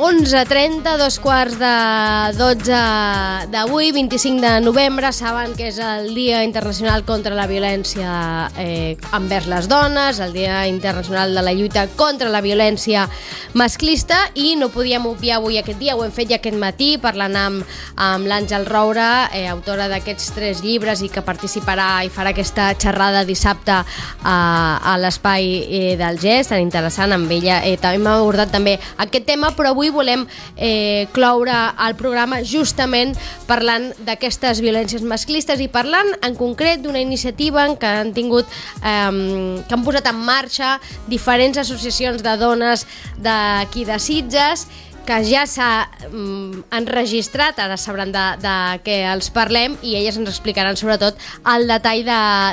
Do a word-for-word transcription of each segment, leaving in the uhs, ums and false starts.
onze trenta, dos quarts de dotze d'avui, vint-i-cinc de novembre. Saben que és el Dia Internacional contra la Violència eh, envers les dones, el Dia Internacional de la Lluita contra la Violència Masclista, i no podíem obviar avui aquest dia, ho hem fet ja aquest matí parlant amb, amb l'Àngel Roura, eh, autora d'aquests tres llibres i que participarà i farà aquesta xerrada dissabte a, a l'espai eh, del Gest, tan interessant amb ella. Eh, també m'ha abordat també aquest tema, però avui volem eh, cloure el programa justament parlant d'aquestes violències masclistes i parlant en concret d'una iniciativa que han tingut eh, que han posat en marxa diferents associacions de dones d'aquí de Sitges, que ja s'ha mm, enregistrat, ara sabran de, de què els parlem, i elles ens explicaran sobretot el detall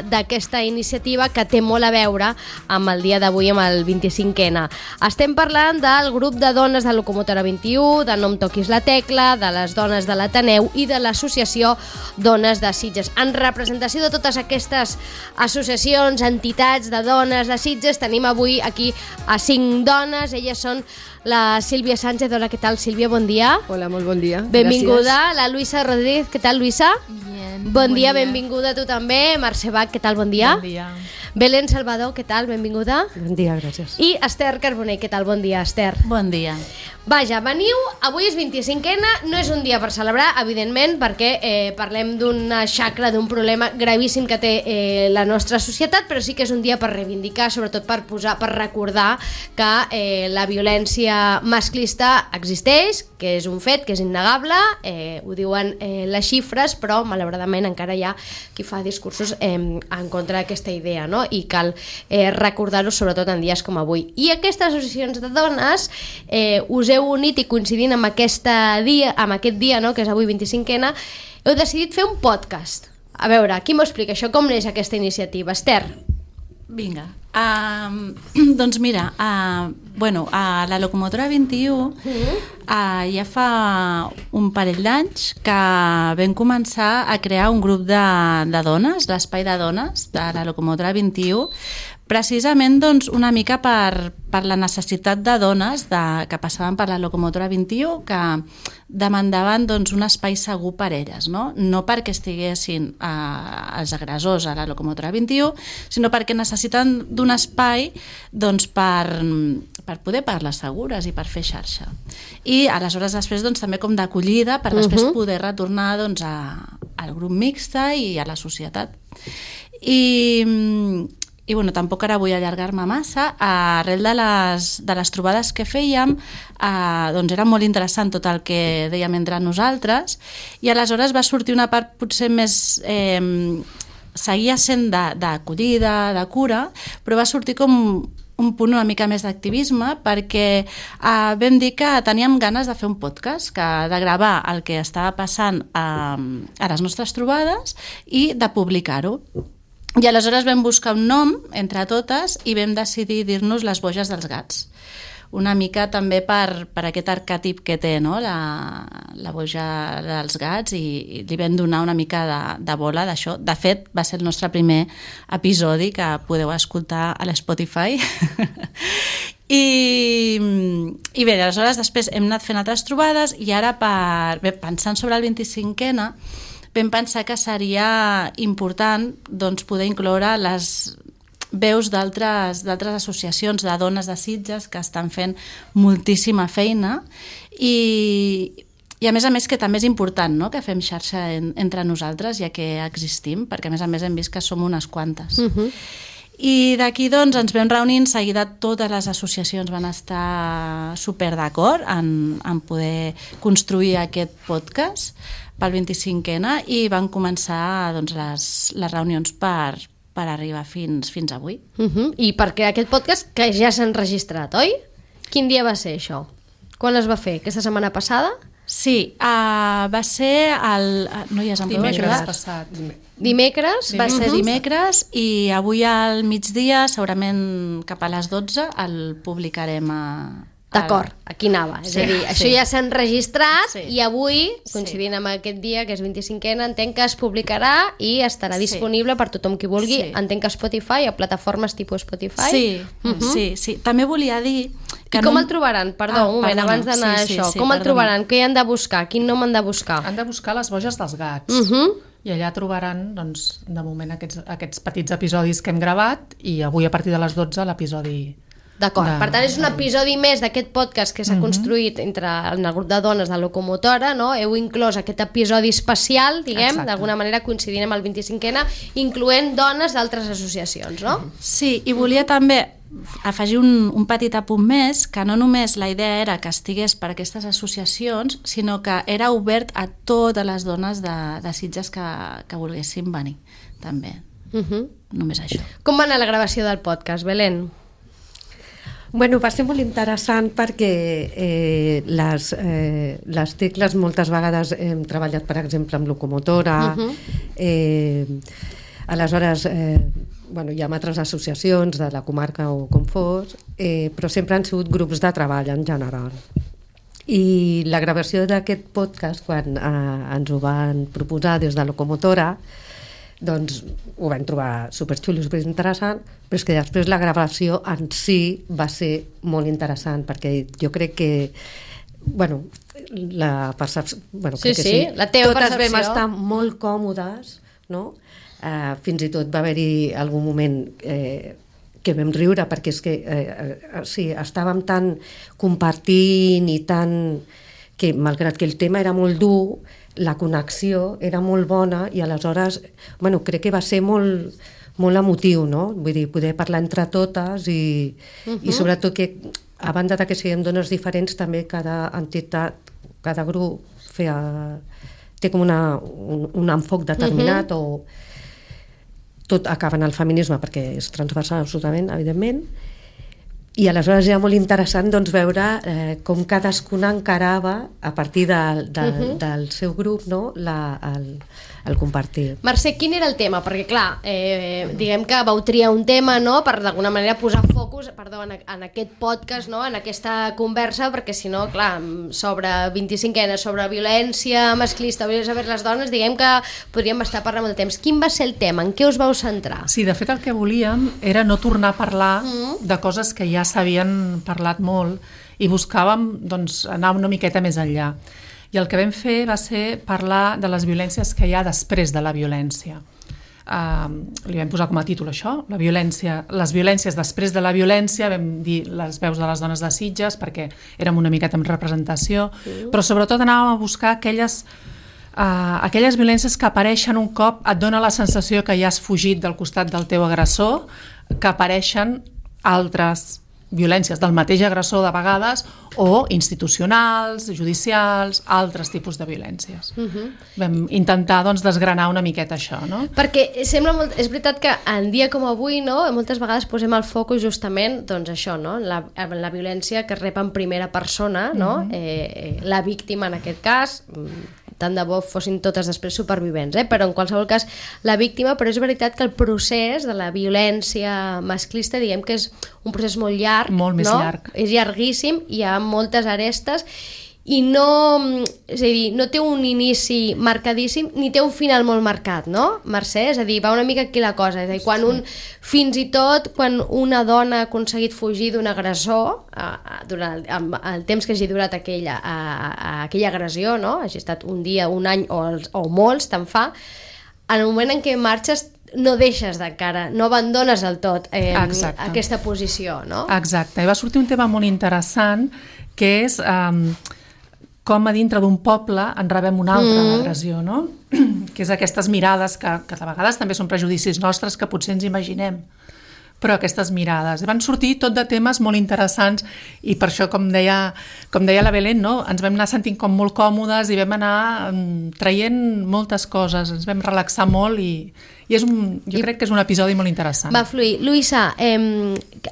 d'aquesta iniciativa que té molt a veure amb el dia d'avui, amb el vint-i-cinc ena. Estem parlant del grup de dones de Locomotora vint-i-u, de No em toquis la tecla, de les dones de l'Ateneu i de l'associació Dones de Sitges. En representació de totes aquestes associacions, entitats de dones de Sitges, tenim avui aquí a cinc dones. Elles són la Sílvia Sánchez. Hola, què tal, Sílvia? Bon dia. Hola, molt bon dia. Benvinguda. Gràcies. La Luisa Rodríguez. Què tal, Luisa? Bien. Bon, bon dia, dia, benvinguda a tu també. Mercè Bach, què tal? Bon dia. Bon dia. Belén Salvador, què tal? Benvinguda. Bon dia, gràcies. I Esther Carbonell, què tal? Bon dia, Esther. Bon dia. Vaja, veniu, avui és vint-i-cinc ena, no és un dia per celebrar, evidentment, perquè eh, parlem d'una xacra, d'un problema gravíssim que té eh, la nostra societat, però sí que és un dia per reivindicar, sobretot per posar, per recordar que eh, la violència masclista existeix, que és un fet, que és innegable, eh, ho diuen eh, les xifres, però malauradament encara hi ha qui fa discursos eh, en contra d'aquesta idea, no? I cal eh, recordar-ho sobretot en dies com avui. I aquestes associacions de dones eh, us heu unit i coincidint amb, aquesta dia, amb aquest dia, no? Que és avui vint-i-cinc ena, heu decidit fer un podcast. A veure, qui m'ho explica això? Com neix aquesta iniciativa? Esther? Vinga. Uh, doncs mira, uh, bueno, a la Locomotora vint-i-u uh, ja fa un parell d'anys que vam començar a crear un grup de, de dones, l'espai de dones de la Locomotora vint-i-u, precisament doncs, una mica per, per la necessitat de dones de, que passaven per la Locomotora vint-i-u, que demandaven doncs, un espai segur per elles, no, no perquè estiguessin eh, els agressors a la Locomotora vint-i-u, sinó perquè necessiten d'un espai doncs, per, per poder parlar segures i per fer xarxa. I aleshores després doncs, també com d'acollida per després uh-huh. poder retornar doncs, a, al grup mixte i a la societat. I... I bueno, tampoc ara vull allargar-me massa. Arrel de les, de les trobades que fèiem, eh, doncs era molt interessant tot el que dèiem entre nosaltres, i aleshores va sortir una part potser més... Eh, seguia sent d'acollida, de, de cura, però va sortir com un punt una mica més d'activisme, perquè eh, vam dir que teníem ganes de fer un podcast, que de gravar el que estava passant a, a les nostres trobades i de publicar-ho. I aleshores vam buscar un nom entre totes i vam decidir dir-nos les boges dels gats. Una mica també per, per aquest arquetip que té, no? la, la boja dels gats, i, i li vam donar una mica de, de bola d'això. De fet, va ser el nostre primer episodi que podeu escoltar a l'Spotify. I, i bé, aleshores després hem anat fent altres trobades, i ara per, bé, pensant sobre el vint-i-cinc ena vam pensar que seria important doncs, poder incloure les veus d'altres d'altres associacions de dones de Sitges que estan fent moltíssima feina, i, i a més a més que també és important, no?, que fem xarxa en, entre nosaltres, ja que existim, perquè a més a més hem vist que som unes quantes. Uh-huh. I d'aquí doncs ens vam reunir, en seguida totes les associacions van estar super d'acord en, en poder construir aquest podcast pel vint-i-cinc ena, i van començar doncs, les, les reunions per, per arribar fins, fins avui. Uh-huh. I per crear aquest podcast que ja s'ha enregistrat, oi? Quin dia va ser això? Quan es va fer? Aquesta setmana passada? Sí, uh, va ser el... No hi has em podeu ajudar? Passat. Dimecres? Va ser dimecres, i avui al migdia, segurament cap a les dotze, el publicarem a... D'acord, aquí anava. És sí, a dir, això sí. Ja s'ha enregistrat, sí. I avui, coincidint sí. amb aquest dia, que és vint-i-cinc ena, entenc que es publicarà i estarà sí. disponible per tothom qui vulgui. Sí. Entenc que a Spotify, a plataformes tipus Spotify. Sí, uh-huh. sí, sí. També volia dir I com el trobaran? Perdó, ah, un moment, perdona. abans d'anar sí, a això. Sí, sí, com el perdona. trobaran? Què han de buscar? Quin nom han de buscar? Han de buscar les boges dels gats. Uh -huh. I allà trobaran, doncs, de moment, aquests, aquests petits episodis que hem gravat i avui a partir de les dotze l'episodi... D'acord, de... per tant és un episodi més d'aquest podcast que s'ha uh -huh. construït entre en el grup de dones de Locomotora, no? Heu inclòs aquest episodi especial, diguem, d'alguna manera coincidint amb el vint-i-cinquè, incloent dones d'altres associacions, no? Sí, i volia també afegir un, un petit apunt més, que no només la idea era que estigués per aquestes associacions, sinó que era obert a totes les dones de, de Sitges que, que volguessin venir, també. Uh -huh. Només això. Com va anar la gravació del podcast, Belén? Bueno, va ser molt interessant perquè eh, les, eh, les tecles moltes vegades hem treballat, per exemple, amb Locomotora, uh -huh. eh, aleshores... Eh, bueno, hi ha altres associacions de la comarca o com fos, eh, però sempre han sigut grups de treball en general. I la gravació d'aquest podcast, quan eh, ens ho van proposar des de Locomotora, doncs ho vam trobar superxulo, superinteressant, però és que després la gravació en si va ser molt interessant, perquè jo crec que bueno, la percepció... Bueno, sí, crec que sí, sí, la teva totes percepció. vam estar molt còmodes, no? Uh, fins i tot va haver-hi algun moment eh, que vam riure perquè és que eh, eh, sí, estàvem tan compartint i tan que malgrat que el tema era molt dur, la connexió era molt bona i aleshores bueno, crec que va ser molt, molt emotiu, no? Vull dir, poder parlar entre totes i, uh-huh. i sobretot que a banda de que siguem dones diferents també cada entitat, cada grup feia, té com una, un, un enfoc determinat uh-huh. o tot acaba en el feminisme perquè és transversal absolutament, evidentment, i aleshores era molt interessant doncs, veure eh, com cadascuna encarava a partir de, de, uh-huh. del seu grup, no? La, el, el compartir. Mercè, quin era el tema? Perquè clar, eh, diguem que vau triar un tema, no?, per d'alguna manera posar focus, perdó, en, en aquest podcast, no?, en aquesta conversa, perquè si no, clar, sobre vint-i-cinquena, sobre violència masclista, violència vers les dones, diguem que podríem estar parlant molt de temps. Quin va ser el tema? En què us vau centrar? Sí, de fet el que volíem era no tornar a parlar mm. de coses que ja s'havien parlat molt i buscàvem doncs, anar una miqueta més enllà. I el que vam fer va ser parlar de les violències que hi ha després de la violència. Uh, li vam posar com a títol això, la violència, les violències després de la violència, vam dir les veus de les dones de Sitges perquè érem una miqueta amb representació, mm. però sobretot anàvem a buscar aquelles, uh, aquelles violències que apareixen un cop et dona la sensació que ja has fugit del costat del teu agressor, que apareixen altres violències del mateix agressor de vegades o institucionals, judicials, altres tipus de violències. Uh-huh. Vam intentar doncs, desgranar una miqueta això, no? Perquè sembla molt, és veritat que en dia com avui, no, moltes vegades posem el focus justament doncs això, no? La, la violència que es rep en primera persona, no? Uh-huh. eh, la víctima en aquest cas, tant de bo fossin totes després supervivents, eh? Però en qualsevol cas la víctima, però és veritat que el procés de la violència masclista, diguem que és un procés molt llarg, molt més no? llarg. És llarguíssim, hi ha moltes arestes i no, és a dir, no té un inici marcadíssim ni té un final molt marcat, no, Mercè? És a dir, va una mica aquí la cosa, és a dir, quan un, fins i tot quan una dona ha aconseguit fugir d'un agressor eh, durant el, el temps que hagi durat aquella, a, a aquella agressió, no? Hagi estat un dia, un any o, els, o molts, te'n fa, en el moment en què marxes no deixes d'encara, no abandones del tot eh, aquesta posició, no? Exacte, i va sortir un tema molt interessant que és eh, com a dintre d'un poble en rebem una altra mm. agressió, no? Que és aquestes mirades que, que de vegades també són prejudicis nostres que potser ens imaginem, però aquestes mirades. I van sortir tot de temes molt interessants i per això, com deia, com deia la Belén, no? Ens vam anar sentint com molt còmodes i vam anar um, traient moltes coses, ens vam relaxar molt i, i és un, jo I, crec que és un episodi molt interessant. Va fluir. Luisa, eh,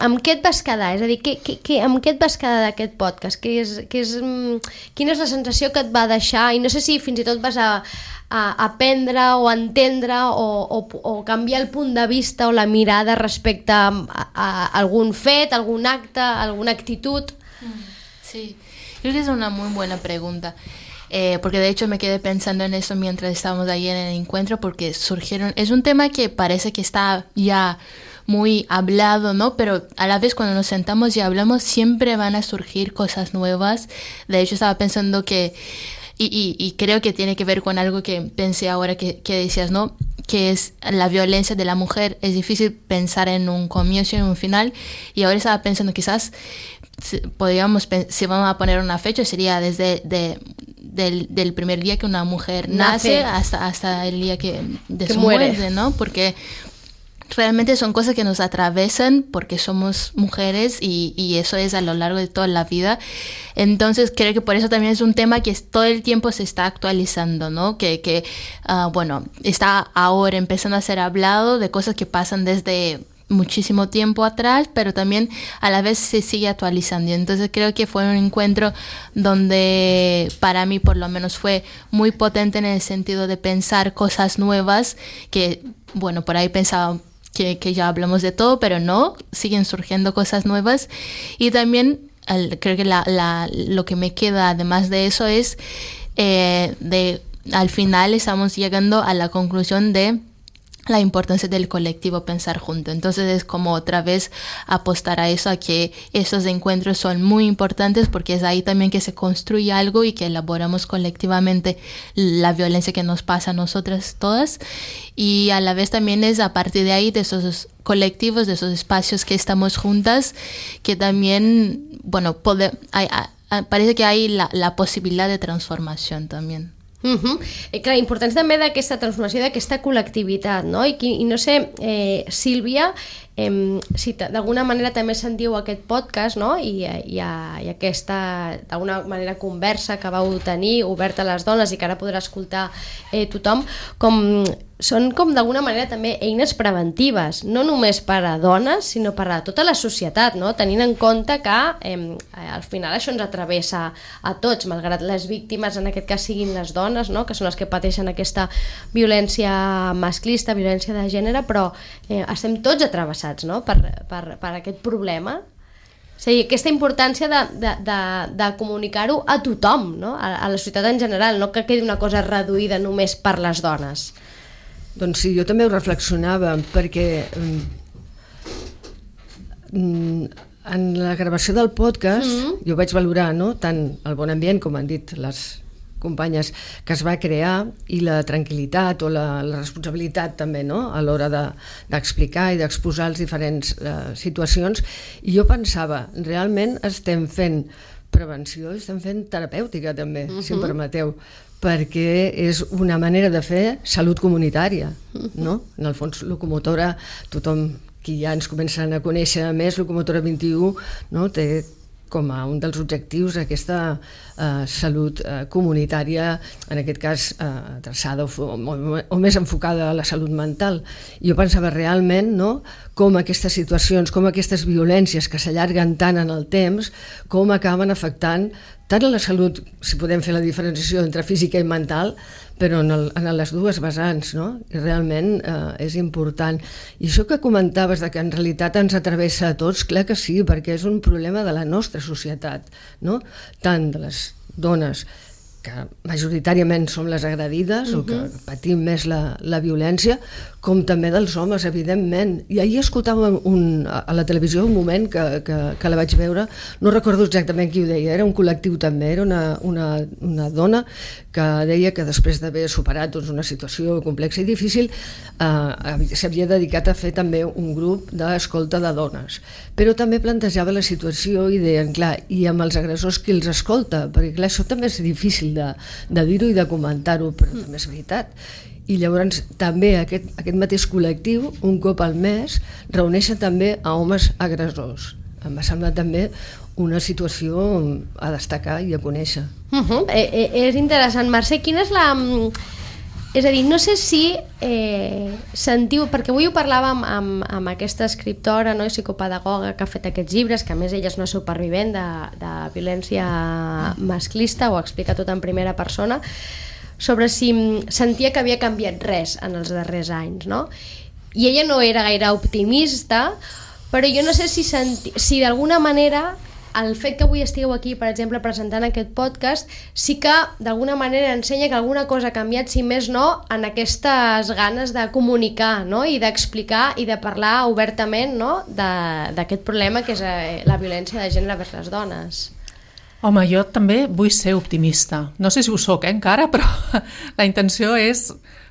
amb què et vas quedar? És a dir, que, que, que, amb què et vas quedar d'aquest podcast? Que és, que és, quina és la sensació que et va deixar? I no sé si fins i tot vas a a aprendre o entendre o, o, o canviar el punt de vista o la mirada respecte a, a, a algún fet, algún acte, alguna actitud. Sí, creo que es una muy buena pregunta. Eh, porque de hecho me quedé pensando en eso mientras estábamos ahí en el encuentro porque surgieron, es un tema que parece que está ya muy hablado, ¿no? Pero a la vez cuando nos sentamos y hablamos siempre van a surgir cosas nuevas. De hecho estaba pensando que, y, y, y creo que tiene que ver con algo que pensé ahora que, que decías, ¿no? Que es la violencia de la mujer. Es difícil pensar en un comienzo y en un final, y ahora estaba pensando quizás si, podríamos, si vamos a poner una fecha, sería desde de, del, del primer día que una mujer nace, nace hasta, hasta el día que, de que su muere. muerte, ¿no? Porque realmente son cosas que nos atravesan porque somos mujeres y, y eso es a lo largo de toda la vida. Entonces creo que por eso también es un tema que es, todo el tiempo se está actualizando, ¿no? Que, que uh, bueno, está ahora empezando a ser hablado de cosas que pasan desde muchísimo tiempo atrás, pero también a la vez se sigue actualizando. Entonces creo que fue un encuentro donde para mí por lo menos fue muy potente en el sentido de pensar cosas nuevas que, bueno, por ahí pensaba que, que ya hablamos de todo, pero no, siguen surgiendo cosas nuevas. Y también el, creo que la, la, lo que me queda además de eso es eh, de al final estamos llegando a la conclusión de la importancia del colectivo pensar junto. Entonces es como otra vez apostar a eso, a que esos encuentros son muy importantes porque es ahí también que se construye algo y que elaboramos colectivamente la violencia que nos pasa a nosotras todas, y a la vez también es a partir de ahí, de esos colectivos, de esos espacios que estamos juntas, que también, bueno, pode, hay, hay, parece que hay la, la posibilitat de transformació també. Uh-huh. Eh, clar, importància també d'aquesta transformació, d'aquesta col·lectivitat, no? I, i no sé, eh, Sílvia, eh, si d'alguna manera també sentiu aquest podcast, no? I, i, i aquesta, d'alguna manera, conversa que vau tenir, oberta a les dones i que ara podrà escoltar eh, tothom, com són com d'alguna manera també eines preventives, no només per a dones, sinó per a tota la societat, no? Tenint en compte que eh, al final això ens atravessa a tots, malgrat les víctimes en aquest cas siguin les dones, no? Que són les que pateixen aquesta violència masclista, violència de gènere, però eh, estem tots atravessats, no? per, per, per aquest problema. O sigui, aquesta importància de, de, de, de comunicar-ho a tothom, no? a, a la societat en general, no que quedi una cosa reduïda només per les dones. Doncs sí, jo també ho reflexionava, perquè mm, en la gravació del podcast mm-hmm. jo vaig valorar, no?, tant el bon ambient, com han dit les companyes, que es va crear, i la tranquil·litat o la, la responsabilitat també, no?, a l'hora de, d'explicar i d'exposar les diferents eh, situacions. I jo pensava, realment estem fent prevenció i estem fent terapèutica també, mm-hmm. si em permeteu, perquè és una manera de fer salut comunitària, no? En el fons, locomotora, tothom qui ja ens comencen a conèixer més, locomotora vint i u, no? Té com a un dels objectius aquesta eh, salut eh, comunitària, en aquest cas eh, adreçada o, o, o més enfocada a la salut mental. I jo pensava realment, no?, com aquestes situacions, com aquestes violències que s'allarguen tant en el temps, com acaben afectant tant a la salut, si podem fer la diferenciació entre física i mental, però en, el, en les dues vessants, no? I realment eh, és important. I això que comentaves de que en realitat ens atravessa a tots, clar que sí, perquè és un problema de la nostra societat, no? Tant de les dones, que majoritàriament som les agredides, uh-huh. o que patim més la, la violència, com també dels homes, evidentment. I ahir escoltava un, a la televisió un moment que, que, que la vaig veure, no recordo exactament qui ho deia, era un col·lectiu també, era una, una, una dona que deia que després d'haver superat doncs, una situació complexa i difícil eh, s'havia dedicat a fer també un grup d'escolta de dones. Però també plantejava la situació i deien, clar, i amb els agressors qui els escolta? Perquè clar, això també és difícil de, de dir-ho i de comentar-ho, però també és veritat. I llavors també aquest, aquest mateix col·lectiu, un cop al mes, reuneixen també a homes agressors. Em va semblar també una situació a destacar i a conèixer. Uh-huh. Eh, eh, és interessant. Mercè, quina és la... És a dir, no sé si eh, sentiu, perquè avui ho parlàvem amb, amb aquesta escriptora, no, i psicopedagoga que ha fet aquests llibres, que a més ella és una supervivent de, de violència masclista, ho explica tot en primera persona, sobre si sentia que havia canviat res en els darrers anys, no? I ella no era gaire optimista, però jo no sé si, senti, si d'alguna manera el fet que avui estigueu aquí, per exemple, presentant aquest podcast, sí que d'alguna manera ensenya que alguna cosa ha canviat, si més no, en aquestes ganes de comunicar, no? I d'explicar i de parlar obertament, no? d'aquest problema que és la violència de gènere vers les dones. Home, jo també vull ser optimista. No sé si ho soc, eh, encara, però la intenció és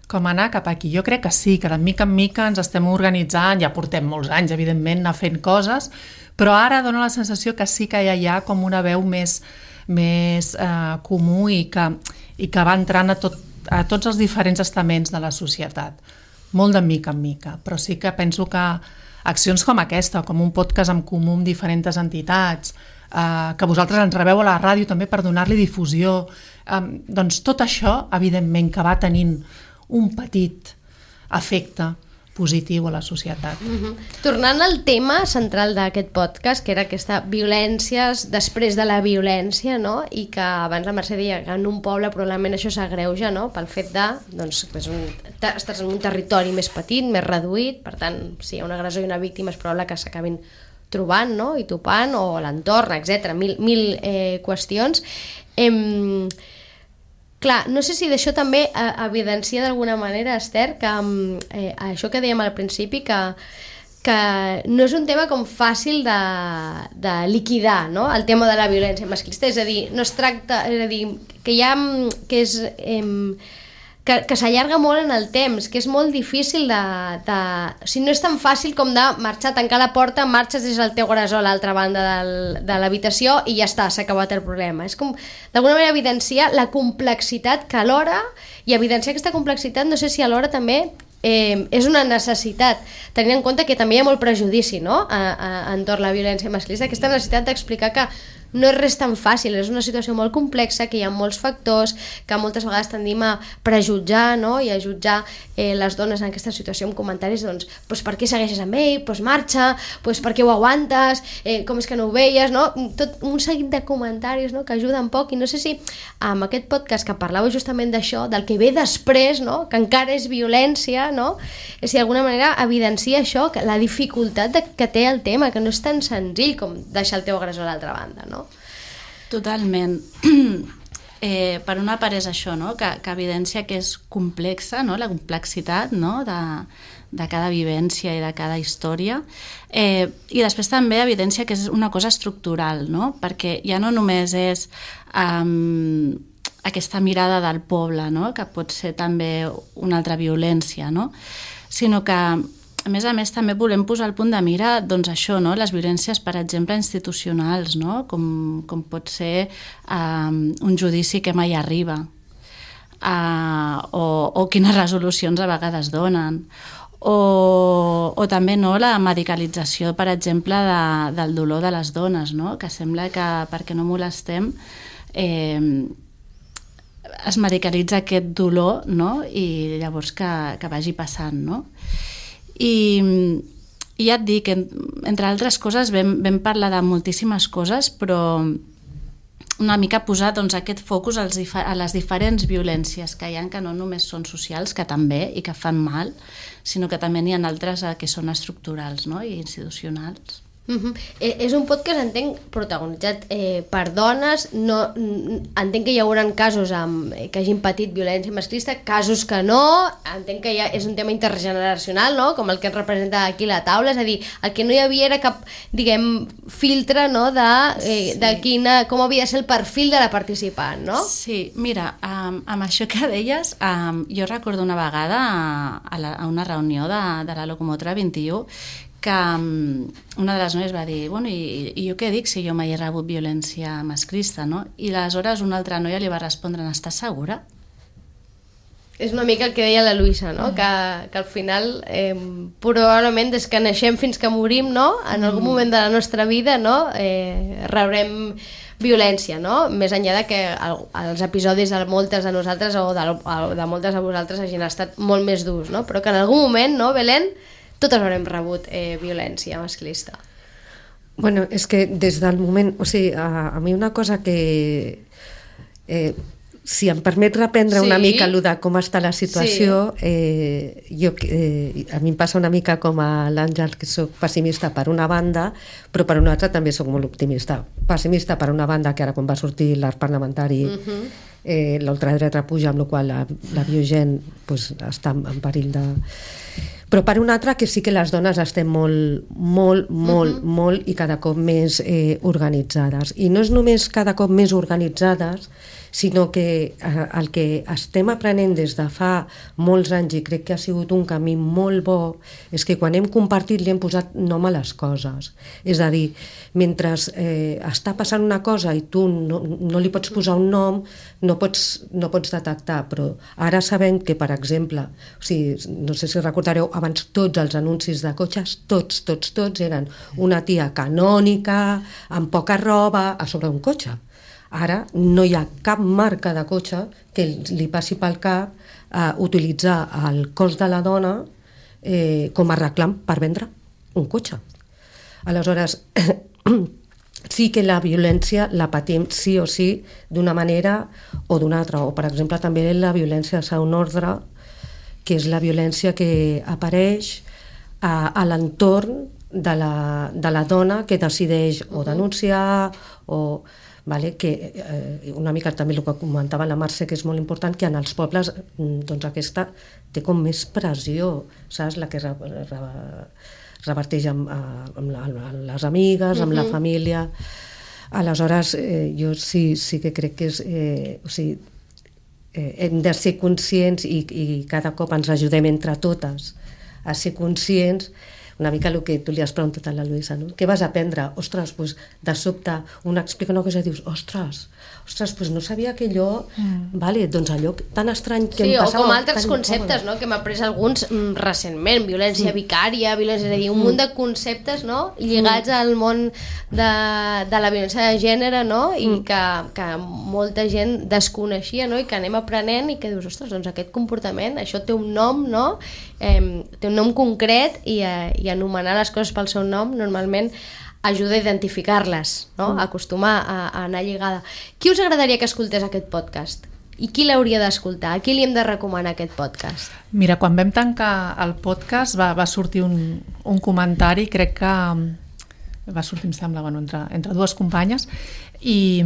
com anar cap aquí. Jo crec que sí, que de mica en mica ens estem organitzant, ja portem molts anys, evidentment, anar fent coses, però ara dona la sensació que sí que ja hi ha com una veu més, més eh, comú i que, i que va entrant a, tot, a tots els diferents estaments de la societat. Molt de mica en mica, però sí que penso que accions com aquesta, com un podcast en comú amb diferents entitats, eh, que vosaltres ens rebeu a la ràdio també per donar-li difusió, eh, doncs tot això, evidentment, que va tenint un petit efecte positiu a la societat. Mm-hmm. Tornant al tema central d'aquest podcast, que era aquesta violències després de la violència, no? I que abans la Mercè deia que en un poble probablement això s'agreuja, no? Pel fet de, doncs, és un, estàs en un territori més petit, més reduït, per tant, si hi ha un agressor i una víctima és probable que s'acabin trobant, no? I topant, o l'entorn, etcètera. Mil, mil eh, qüestions. Em... Clar, no sé si d'això també eh, evidencia d'alguna manera, Esther, que eh, això que dèiem al principi, que, que no és un tema com fàcil de, de liquidar, no? El tema de la violència masclista, és a dir, no es tracta, és a dir, que hi ha, que és... Eh, que, que s'allarga molt en el temps, que és molt difícil de, de... O sigui, no és tan fàcil com de marxar, tancar la porta, marxes des del teu agressor a l'altra banda del, de l'habitació i ja està, s'ha acabat el problema. És com, d'alguna manera, evidenciar la complexitat que alhora, i evidenciar aquesta complexitat, no sé si alhora també eh, és una necessitat, tenint en compte que també hi ha molt prejudici, no?, a, a, entorn la violència masclista, aquesta necessitat d'explicar que no és res tan fàcil, és una situació molt complexa, que hi ha molts factors, que moltes vegades tendim a prejutjar, no? I a jutjar eh, les dones en aquesta situació amb comentaris, doncs, pues, per què segueixes amb ell? Pues marxa, pues, per què ho aguantes? Eh, com és que no ho veies? No? Tot un seguit de comentaris, no? Que ajuden poc, i no sé si amb aquest podcast que parlava justament d'això, del que ve després, no? Que encara és violència, no? És si d'alguna manera evidencia això, que la dificultat de, que té el tema, que no és tan senzill com deixar el teu agressor a l'altra banda, no? Totalment. Eh, per una part és això, no? que, que evidència que és complexa, no? La complexitat, no? de, de cada vivència i de cada història. Eh, I després també evidència que és una cosa estructural, no? Perquè ja no només és um, aquesta mirada del poble, no? Que pot ser també una altra violència, no? Sinó que a més a més, també volem posar el punt de mira, doncs això, no? Les violències, per exemple, institucionals, no? Com, com pot ser um, un judici que mai arriba, uh, o, o quines resolucions a vegades donen, o, o també, no, la medicalització, per exemple, de, del dolor de les dones, no? Que sembla que perquè no molestem eh, es medicalitza aquest dolor, no? I llavors que, que vagi passant, no? I, i ja et dic, entre altres coses vam, vam parlar de moltíssimes coses, però una mica posar, doncs, aquest focus als, a les diferents violències que hi ha, que no només són socials, que també, i que fan mal, sinó que també n'hi ha altres que són estructurals, no? I institucionals. Uh-huh. Eh, és un podcast, entenc, protagonitzat eh, per dones, no, entenc que hi haurà casos amb, eh, que hagin patit violència masclista, casos que no, entenc que ha, és un tema intergeneracional, no? Com el que ens representa aquí la taula, és a dir, el que no hi havia era cap, diguem, filtre, no? de, eh, sí. de quina, com havia de ser el perfil de la participant, no? Sí, mira, um, amb això que deies, um, jo recordo una vegada a, a, la, a una reunió de, de la locomotora vint-i-u que um, una de les noies va dir, bueno, i, i jo què dic si jo mai he rebut violència masclista, no? I aleshores una altra noia li va respondre, n'estàs segura? És una mica el que deia la Luisa, no? Mm. Que, que al final, eh, probablement des que naixem fins que morim, no? En algun mm. moment de la nostra vida, no? Eh, rebrem violència, no? Més enllà de que el, els episodis de moltes de nosaltres o de, de moltes de vosaltres hagin estat molt més durs, no? Però que en algun moment, no, Belén? Totes haurem rebut eh, violència masclista. Bueno, és que des del moment... O sigui, a, a mi una cosa que... Eh, si em permet reprendre Sí. una mica allò de com està la situació, sí. eh, jo, eh, a mi em passa una mica com a l'Àngel, que soc pessimista per una banda, però per una altra també soc molt optimista. Pessimista per una banda, que ara quan va sortir l'arc parlamentari uh-huh. eh, l'ultradreta puja, amb la qual la, la biogent pues, està en perill de... Però per una altra que sí que les dones estem molt, molt, molt, uh-huh. molt i cada cop més eh, organitzades. I no és només cada cop més organitzades, sinó que eh, el que estem aprenent des de fa molts anys, i crec que ha sigut un camí molt bo, és que quan hem compartit li hem posat nom a les coses. És a dir, mentre eh, està passant una cosa i tu no, no li pots posar un nom, no pots, no pots detectar, però ara sabem que, per exemple, o sigui, no sé si recordareu, abans tots els anuncis de cotxes, tots, tots, tots eren una tia canònica, amb poca roba, a sobre un cotxe. Ara no hi ha cap marca de cotxe que li passi pel cap eh, utilitzar el cos de la dona eh, com a reclam per vendre un cotxe. Aleshores, sí que la violència la patim sí o sí d'una manera o d'una altra. O, per exemple, també la violència de segon ordre, que és la violència que apareix a, a l'entorn de la, de la dona que decideix o denunciar o... Vale, que eh, una mica també el que comentava la Mercè, que és molt important, que en els pobles doncs aquesta té com més pressió, saps? La que re, re, reverteix amb, amb, la, amb les amigues, amb uh-huh. la família. Aleshores, eh, jo sí, sí que crec que és... Eh, o sigui, eh, hem de ser conscients i, i cada cop ens ajudem entre totes a ser conscients. Una mica el que tu li has preguntat a la Luisa, no? Què vas aprendre? Ostres, doncs, de sobte, una explica una cosa i dius, ostres, ostres, doncs no sabia que allò... Mm. Vale, doncs allò tan estrany que sí, em passava... o com altres conceptes, no?, que m'ha après alguns mm, recentment, violència sí. vicària, violència, és a dir, un mm. munt de conceptes, no?, lligats mm. al món de, de la violència de gènere, no?, i mm. que, que molta gent desconeixia, no?, i que anem aprenent i que dius, ostres, doncs aquest comportament, això té un nom, no?, eh, té un nom concret i, eh, i anomenar les coses pel seu nom normalment ajuda a identificar-les, no? Mm. Acostumar a, a anar lligada. Qui us agradaria que escoltés aquest podcast? I qui l'hauria d'escoltar? A qui li hem de recomanar aquest podcast? Mira, quan vam tancar el podcast va, va sortir un, un comentari, crec que va sortir, em sembla, bueno, entre, entre dues companyes, i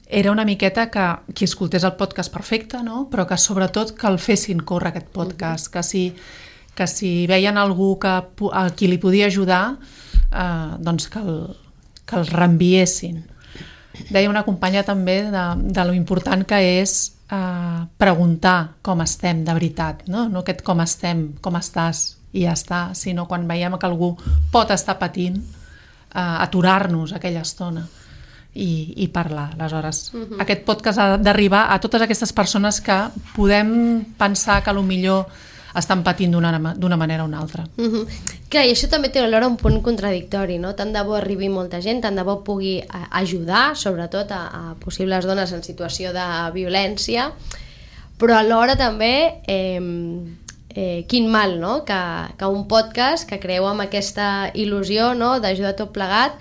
era una miqueta que qui escoltés el podcast perfecte, no? Però que sobretot que el fessin córrer aquest podcast, mm-hmm. que si que si veien algú que, a qui li podia ajudar, eh, doncs que el, que el reenviessin. Deia una companya també de, de lo important que és eh, preguntar com estem de veritat, no? No aquest com estem, com estàs i ja està, sinó quan veiem que algú pot estar patint, eh, aturar-nos aquella estona i, i parlar. Aleshores, uh-huh. aquest podcast ha d'arribar a totes aquestes persones que podem pensar que potser estan patint d'una, d'una manera o una altra. Uh-huh. Clar, i això també té alhora un punt contradictori, no? Tant de bo arribi molta gent, tant de bo pugui ajudar, sobretot a, a possibles dones en situació de violència, però alhora també eh, eh, quin mal, no? Que, que un podcast que creu amb aquesta il·lusió, no?, d'ajudar tot plegat,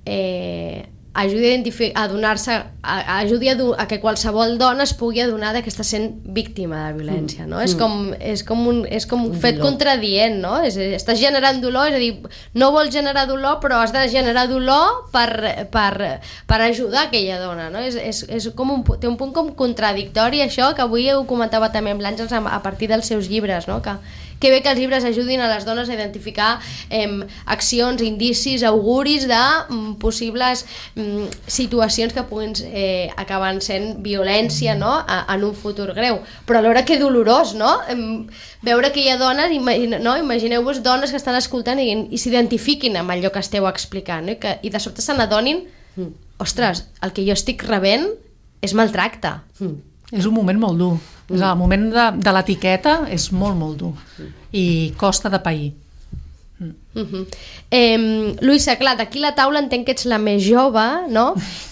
eh, ajudi a, identific- a donar-se, a, ajudi a, do- a que qualsevol dona es pugui adonar que està sent víctima de violència, no? Mm. És com, és com un, és com un fet dolor. Contradient, no? És, estàs generant dolor, és a dir, no vols generar dolor, però has de generar dolor per, per, per ajudar aquella dona, no? És, és, és com un, té un punt com contradictori això, que avui ho comentava també amb l'Àngels a partir dels seus llibres, no? Que que bé que els llibres ajudin a les dones a identificar eh, accions, indicis, auguris de mm, possibles mm, situacions que puguin eh, acabar sent violència, no?, a, en un futur greu. Però alhora que dolorós, no?, em, veure que hi ha dones, imagine, no? Imagineu-vos dones que estan escoltant i, i s'identifiquin amb allò que esteu explicant, no? I, que, i de sobte se n'adonin, mm. ostres, el que jo estic rebent és maltracte. Mm. És un moment molt dur. Mm. És el moment de, de l'etiqueta és molt, molt dur. Mm. I costa de pair. Mm. Mm-hmm. Eh, Luisa, clar, d'aquí la taula entenc que ets la més jove, no?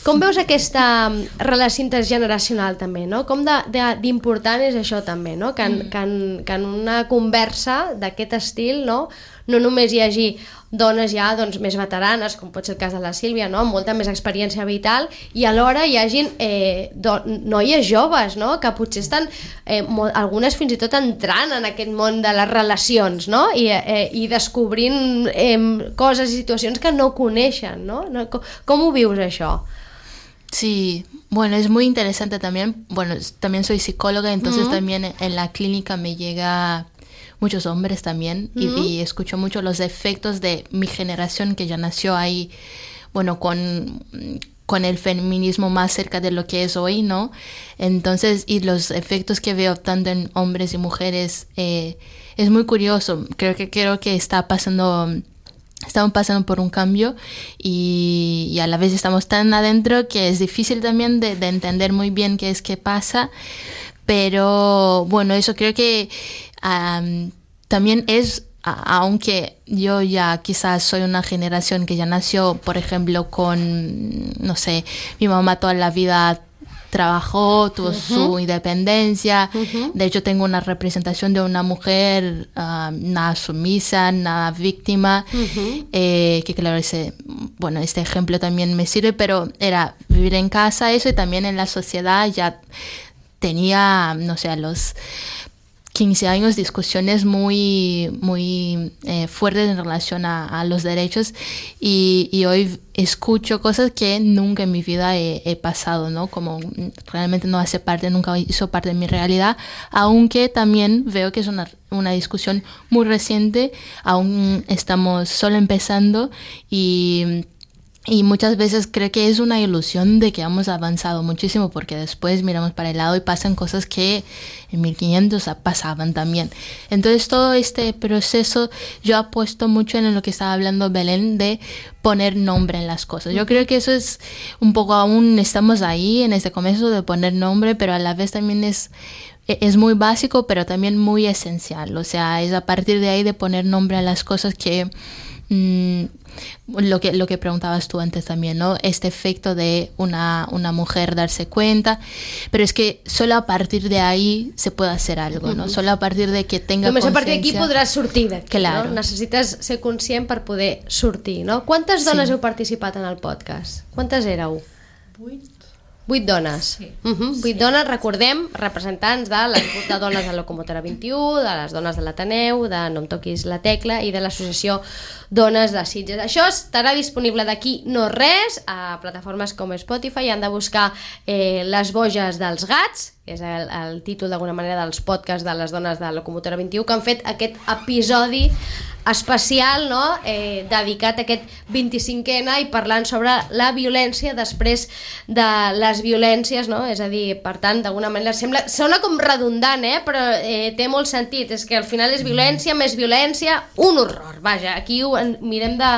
Com veus aquesta relació intergeneracional també, no? Com de, de, d'important és això també, no? Que en, que en, que en una conversa d'aquest estil, no?, no només hi hagi dones ja doncs, més veteranes, com pot ser el cas de la Sílvia, no? Amb molta més experiència vital, i alhora hi hagin eh, do, noies joves, no? Que potser estan, eh, molt, algunes fins i tot entrant en aquest món de les relacions, no? I, eh, i descobrint eh, coses i situacions que no coneixen, no? Com, com ho vius, això? Sí, bueno, es muy interesante también. Bueno, también soy psicóloga, entonces uh-huh. también en la clínica me llega muchos hombres también uh-huh. y, y escucho mucho los efectos de mi generación que ya nació ahí, bueno, con, con el feminismo más cerca de lo que es hoy, ¿no? Entonces, y los efectos que veo tanto en hombres y mujeres, eh, es muy curioso. Creo que, creo que está pasando... Estamos pasando por un cambio y, y a la vez estamos tan adentro que es difícil también de, de entender muy bien qué es que pasa, pero bueno, eso creo que um, también es, a, aunque yo ya quizás soy una generación que ya nació, por ejemplo, con, no sé, mi mamá toda la vida trabajó, tuvo uh-huh. su independencia. Uh-huh. De hecho, tengo una representación de una mujer uh, nada sumisa, nada víctima, uh-huh. eh, que claro, ese, bueno, este ejemplo también me sirve, pero era vivir en casa, eso, y también en la sociedad ya tenía, no sé, a los quince años discusiones muy, muy eh, fuertes en relación a, a los derechos y, y hoy escucho cosas que nunca en mi vida he, he pasado, ¿no? Como realmente no hace parte, nunca hizo parte de mi realidad, aunque también veo que es una, una discusión muy reciente, aún estamos solo empezando y... Y muchas veces creo que es una ilusión de que hemos avanzado muchísimo porque después miramos para el lado y pasan cosas que en mil quinientos pasaban también. Entonces todo este proceso yo apuesto mucho en lo que estaba hablando Belén de poner nombre en las cosas. Yo creo que eso es un poco, aún estamos ahí en este comienzo de poner nombre, pero a la vez también es... es muy básico, pero también muy esencial. O sea, es a partir de ahí de poner nombre a las cosas que... Mmm, lo que lo que preguntabas tú antes también, ¿no? Este efecto de una, una mujer darse cuenta, pero es que solo a partir de ahí se puede hacer algo, ¿no? Uh-huh. Solo a partir de que tenga Només consciència... a partir d'aquí podràs sortir d'aquí, claro. No? Necessites ser conscient per poder sortir, no? Quantes dones sí. heu participat en el podcast? Quantes éreu? Vuit. Vuit dones. Sí. Uh-huh. Vuit sí. dones, recordem, representants de les de dones de Locomotora vint-i-u, de les dones de l'Ateneu, de No em toquis la tecla i de l'associació Dones de Sitges. Això estarà disponible d'aquí no res a plataformes com Spotify. Han de buscar eh, Les boges dels gats, que és el, el títol d'alguna manera dels podcasts de les dones de Locomotora vint-i-u, que han fet aquest episodi especial, no? eh, dedicat a aquest vint-i-cinquè ena i parlant sobre la violència després de les violències, no? És a dir, per tant, d'alguna manera sembla, sona com redundant, eh? Però eh, té molt sentit, és que al final és violència, més violència, un horror, vaja, aquí ho mirem de,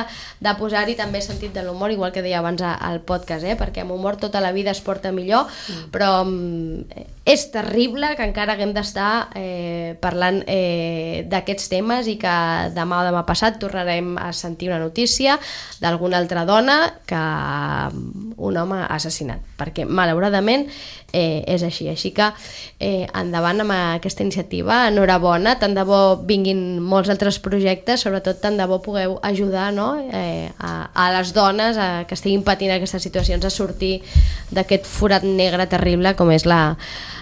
de posar-hi també sentit de l'humor, igual que deia abans al podcast, eh? Perquè amb humor tota la vida es porta millor, mm. però mm, és terrible que encara haguem d'estar eh, parlant eh, d'aquests temes i que demà o demà passat tornarem a sentir una notícia d'alguna altra dona que un home ha assassinat, perquè malauradament eh, és així, així que eh, endavant amb aquesta iniciativa, enhorabona, tant de bo vinguin molts altres projectes, sobretot tant de bo pugueu ajudar, no? eh, a, a les dones a, que estiguin patint aquestes situacions a sortir d'aquest forat negre terrible com és la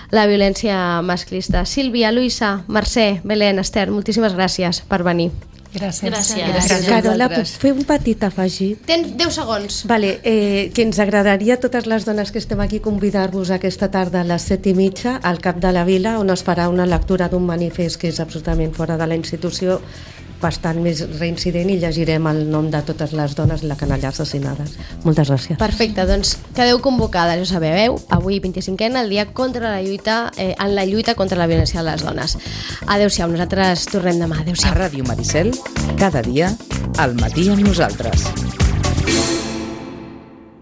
la violència masclista. Sílvia, Luisa, Mercè, Belén, Esther, moltíssimes gràcies per venir. Gràcies. Gràcies. Gràcies. Carola, puc fer un petit afegit? Tens deu segons. Vale, eh, que ens agradaria a totes les dones que estem aquí convidar-vos aquesta tarda a les set i mitja al Cap de la Vila, on es farà una lectura d'un manifest que és absolutament fora de la institució, bastant més reincident, i llegirem el nom de totes les dones i la canalla assassinades. Moltes gràcies. Perfecte, doncs quedeu convocades, ja sabeu, avui vint-i-cinquè ena, el dia contra la lluita, eh, en la lluita contra la violència de les dones. Adéu-siau, nosaltres tornem demà. Adéu-siau. A Ràdio Maricel, cada dia, al matí amb nosaltres.